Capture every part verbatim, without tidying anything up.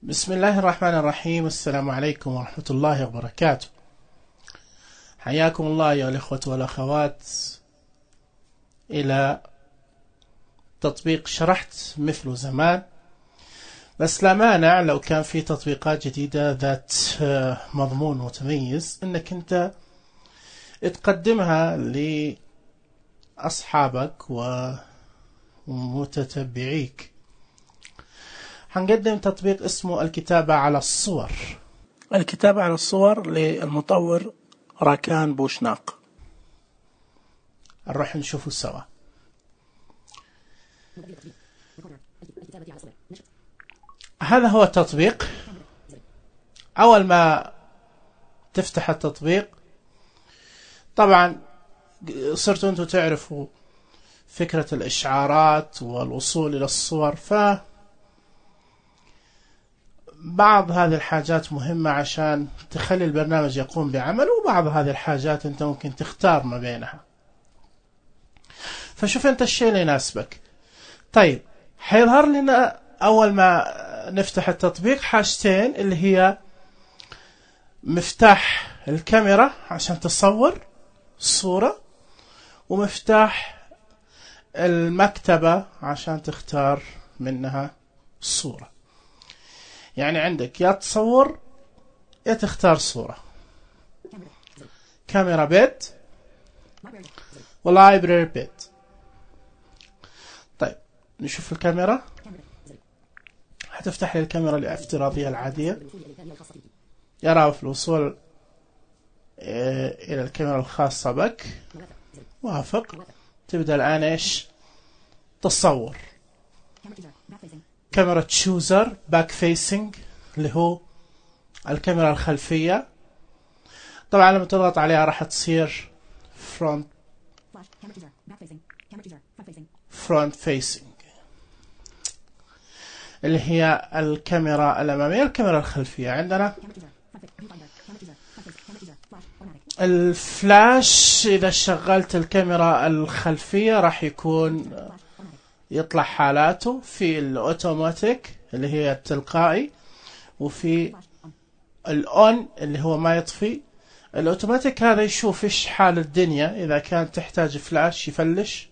بسم الله الرحمن الرحيم. السلام عليكم ورحمة الله وبركاته. حياكم الله يا الإخوة والأخوات إلى تطبيق شرحت مثله زمان، بس لا مانع لو كان في تطبيقات جديدة ذات مضمون متميز انك انت تقدمها لأصحابك ومتتبعيك. هنقدم تطبيق اسمه الكتابة على الصور. الكتابة على الصور للمطور راكان بوشناق. نروح نشوفه سوا. هذا هو التطبيق. أول ما تفتح التطبيق طبعا صرتوا أنتوا تعرفوا فكرة الإشعارات والوصول إلى الصور، ف بعض هذه الحاجات مهمة عشان تخلي البرنامج يقوم بعمله، وبعض هذه الحاجات أنت ممكن تختار ما بينها. فشوف أنت الشيء اللي يناسبك. طيب حيظهر لنا أول ما نفتح التطبيق حاجتين، اللي هي مفتاح الكاميرا عشان تصور الصورة، ومفتاح المكتبة عشان تختار منها الصورة. يعني عندك يا تصور يا تختار صورة. كاميرا بيت ولايبراري بيت. طيب نشوف الكاميرا. هتفتح لي الكاميرا الافتراضية العادية. يرى في الوصول إلى الكاميرا الخاصة بك. وافق. تبدأ الآن إيش؟ تصور. كاميرا تشوزر باك فيسنج اللي هو الكاميرا الخلفية. طبعا لما تضغط عليها راح تصير فرونت فرونت فيسنج اللي هي الكاميرا الأمامية. الكاميرا الخلفية عندنا الفلاش. إذا شغلت الكاميرا الخلفية راح يكون يطلع حالاته في الأوتوماتيك اللي هي التلقائي، وفي الأون اللي هو ما يطفي. الأوتوماتيك هذا يشوف إيش حال الدنيا، إذا كانت تحتاج فلاش يفلش،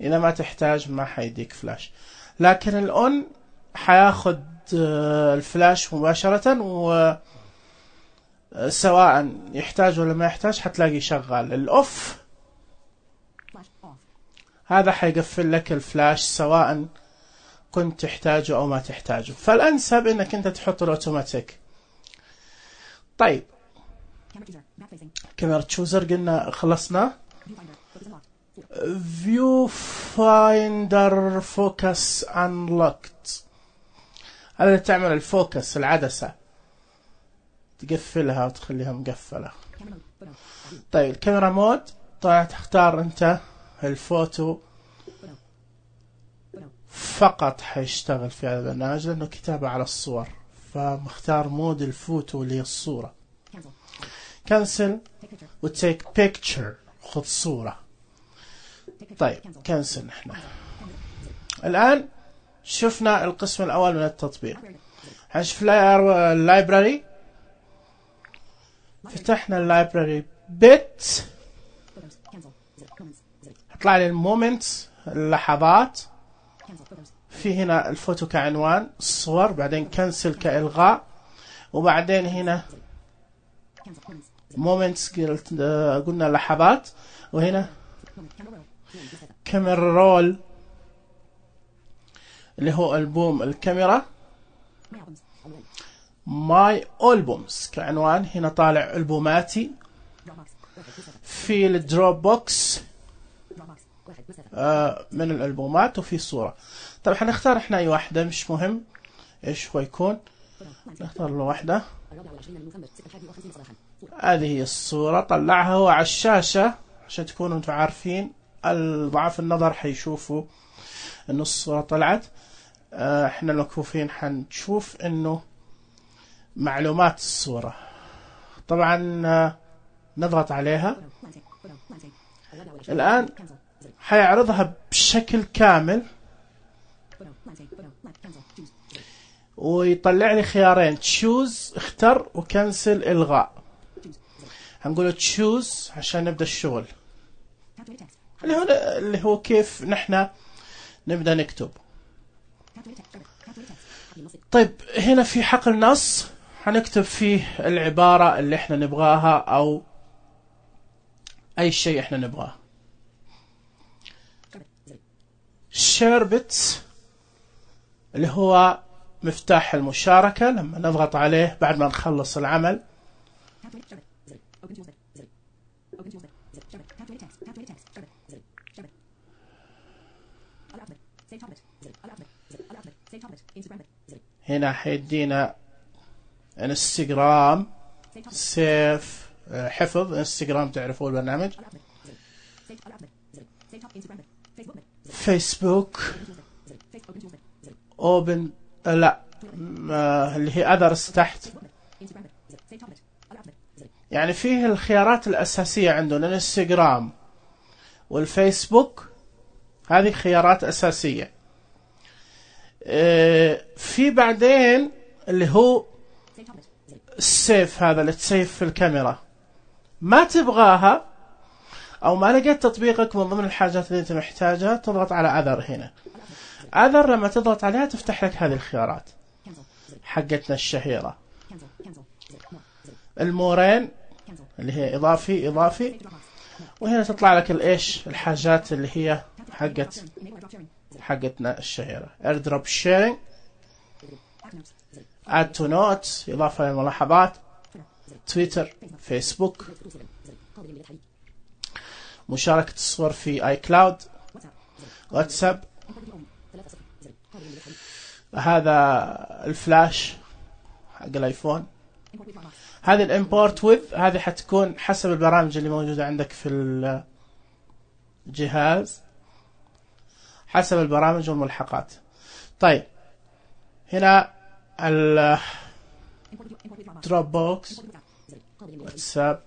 إذا ما تحتاج ما حيديك فلاش. لكن الأون حياخد الفلاش مباشرة، وسواء يحتاج ولا ما يحتاج حتلاقي شغال. الأوف هذا حيقفل لك الفلاش سواء كنت تحتاجه أو ما تحتاجه. فالأنسب إنك أنت تحط الأوتوماتيك. طيب كاميرا تشوزر قلنا خلصنا. فيو فايندر فوكس انلوكت. هذا اللي تعمل الفوكس العدسة، تقفلها وتخليها مقفلة. طيب الكاميرا مود طبعا تختار أنت الفوتو فقط حيشتغل في هذا البرنامج لأنه كتابة على الصور، فمختار مود الفوتو اللي هي الصورة. كنسل وتيك بيكتشر، خذ صورة. طيب كنسل. نحن الآن شفنا القسم الأول من التطبيق. هنشوف اللايبراري. فتحنا اللايبراري بيت. هطلع لي المومنتس اللحظات. في هنا الفوتو كعنوان، الصور، بعدين كنسل كإلغاء، وبعدين هنا مومنتس قلنا لحظات، وهنا كاميرا رول اللي هو ألبوم الكاميرا. ماي ألبومز كعنوان، هنا طالع ألبوماتي. في الدروب بوكس آه من الألبومات، وفي صورة. طب حنختار احنا اي واحدة، مش مهم ايش هو يكون، نختار له واحدة. هذه هي الصورة. طلعها هو على الشاشة عشان تكونوا انتم عارفين. ضعاف النظر حيشوفوا انه الصورة طلعت. اه احنا المكفوفين حنشوف انه معلومات الصورة. طبعا اه نضغط عليها الآن حيعرضها بشكل كامل، ويطلع لي خيارين تشوز اختر وكنسل الغاء. هنقول تشوز عشان نبدأ الشغل اللي هو اللي هو كيف نحن نبدأ نكتب. طيب هنا في حقل نص هنكتب فيه العبارة اللي احنا نبغاها او اي شيء احنا نبغاه. شيربت اللي هو مفتاح المشاركة، لما نضغط عليه بعد ما نخلص العمل هنا حيدينا انستغرام سيف حفظ انستغرام، تعرفوا البرنامج. فيسبوك اوبن لا اللي هي اذرز تحت، يعني فيه الخيارات الاساسية عندنا الانستغرام والفيسبوك، هذه خيارات اساسية. في بعدين اللي هو السيف، هذا اللي تسيف في الكاميرا، ما تبغاها او ما لقيت تطبيقك من ضمن الحاجات اللي انت محتاجها تضغط على اذر. هنا اذر لما تضغط عليها تفتح لك هذه الخيارات حقتنا الشهيرة. المورين اللي هي اضافي اضافي، وهنا تطلع لك الايش الحاجات اللي هي حقت حقتنا الشهيرة. airdrop sharing، add to notes اضافة للملاحظات، تويتر، فيسبوك، مشاركة الصور في اي كلاود، واتساب، هذا الفلاش حق الايفون. هذه الامبورت وذ، هذه حتكون حسب البرامج اللي موجودة عندك في الجهاز، حسب البرامج والملحقات. طيب هنا ال دروب بوكس، واتساب،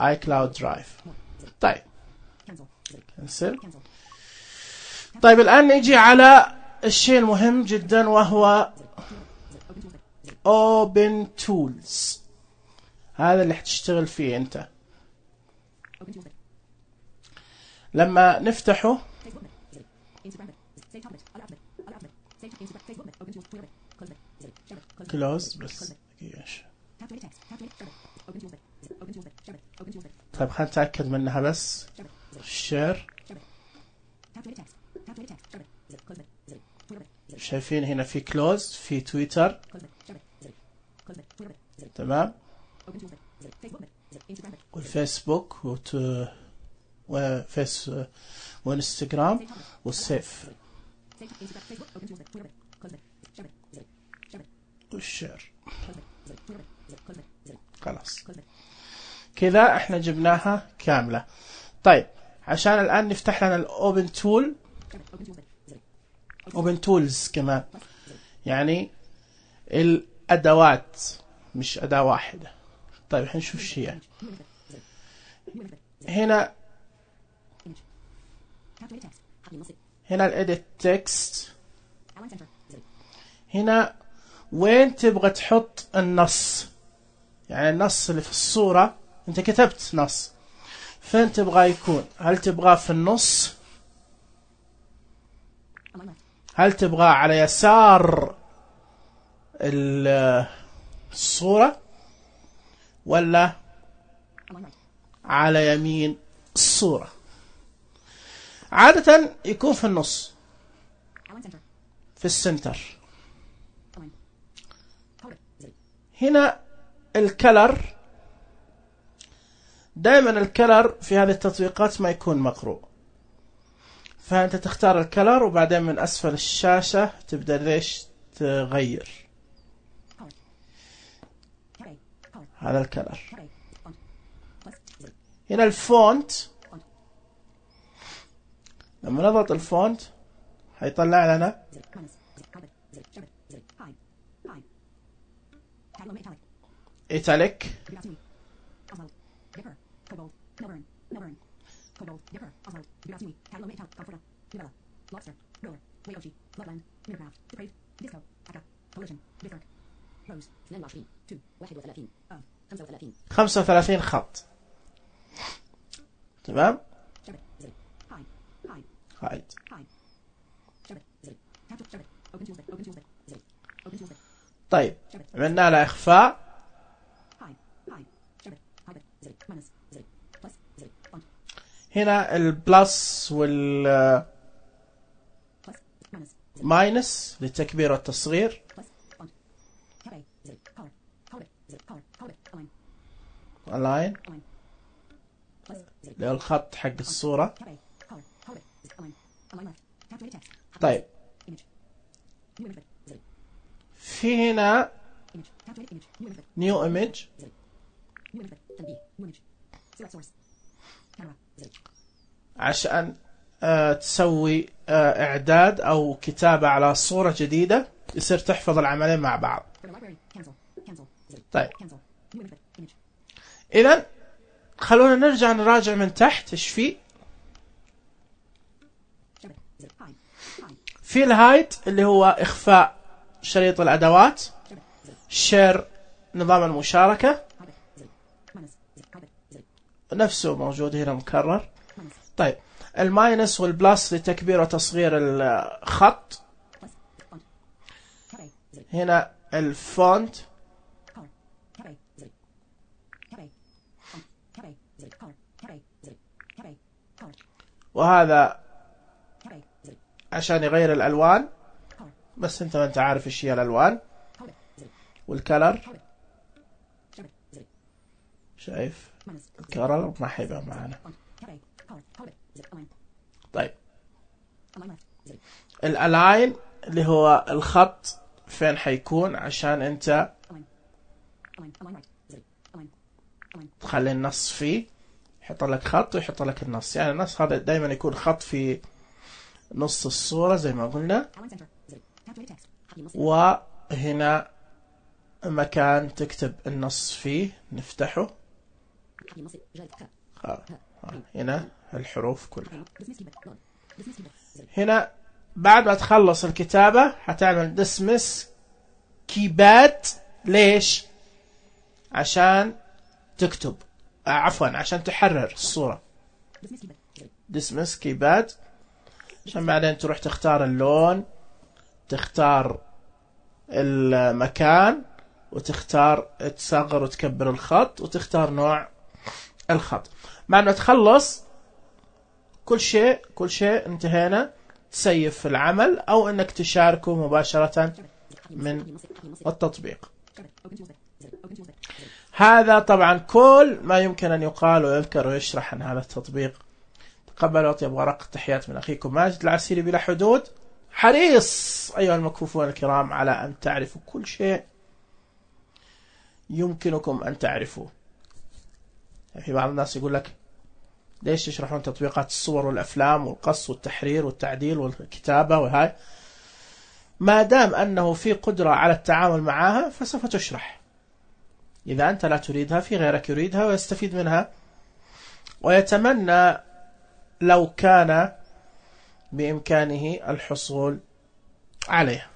اي كلاود درايف. طيب كنسل. طيب الآن نيجي على الشيء المهم جدا وهو Open Tools، هذا اللي حتشتغل فيه انت. لما نفتحه كلوز بس. طيب خلينا نتأكد منها بس. شير، شايفين هنا في كلوز، في تويتر، تمام، والفيسبوك وت... وفيس وانستغرام والسيف والشير. خلاص كذا احنا جبناها كاملة. طيب عشان الآن نفتح لنا الأوبن تول، أوبن تولز كمان، يعني الأدوات مش أداة واحدة. طيب حنشوف شيء يعني. هنا هنا الإيديت تكست، هنا وين تبغى تحط النص، يعني النص اللي في الصورة انت كتبت نص، فين تبغى يكون؟ هل تبغاه في النص؟ هل تبغاه على يسار الصورة ولا على يمين الصورة؟ عادة يكون في النص، في السنتر. هنا الكلر، دائما الكلر في هذه التطبيقات ما يكون مقروء، فأنت تختار الكلر وبعدين من أسفل الشاشة تبدأ ليش تغير. هذا الكلر. هنا الفونت، لما نضغط الفونت هيطلع لنا إيتاليك، خمسة وثلاثين خط. تمام. هايد. طيب عملنا له إخفاء. هنا البلس وال ماينس للتكبير والتصغير. الاين للخط حق الصورة. طيب في هنا نيو ايمج عشان آه تسوي آه اعداد او كتابة على صورة جديدة يصير تحفظ العملين مع بعض. طيب اذا خلونا نرجع نراجع من تحت ايش في. في الهايد اللي هو اخفاء شريط الادوات. شير نظام المشاركة نفسه موجود هنا مكرر. طيب الماينس والبلس لتكبير وتصغير الخط. هنا الفونت. وهذا عشان يغير الألوان بس انت ما انت عارف ايش هي الألوان. والكلر شايف الكلر ما حيبقى معنا. طيب الالاين اللي هو الخط فين حيكون عشان انت تخلي النص فيه. يحط لك خط ويحط لك النص. يعني النص هذا دائما يكون خط في نص الصورة زي ما قلنا. وهنا مكان تكتب النص فيه نفتحه. هنا الحروف كلها. هنا بعد ما تخلص الكتابة هتعمل dismiss keypad. ليش؟ عشان تكتب آه عفوا عشان تحرر الصورة. dismiss keypad عشان بعدين تروح تختار اللون، تختار المكان، وتختار تصغر وتكبر الخط، وتختار نوع الخط. بعد ما تخلص كل شيء كل شيء انتهينا. تسيف العمل او انك تشاركه مباشرة من التطبيق. هذا طبعا كل ما يمكن ان يقال ويذكر ويشرح عن هذا التطبيق. تقبل واطيب ورق تحيات من اخيكم ماجد العسيري بلا حدود. حريص ايها المكفوفون الكرام على ان تعرفوا كل شيء يمكنكم ان تعرفوه. في بعض الناس يقول لك ليش يشرحون تطبيقات الصور والأفلام والقص والتحرير والتعديل والكتابة وهاي؟ ما دام أنه في قدرة على التعامل معها فسوف تشرح. إذا أنت لا تريدها في غيرك يريدها ويستفيد منها ويتمنى لو كان بإمكانه الحصول عليها.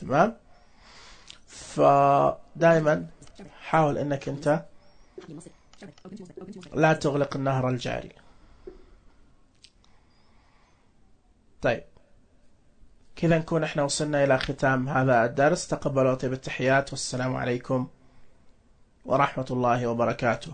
تمام؟ فدائما حاول أنك أنت لا تغلق النهر الجاري. طيب كذا نكون احنا وصلنا إلى ختام هذا الدرس. تقبلوا طيب التحيات والسلام عليكم ورحمة الله وبركاته.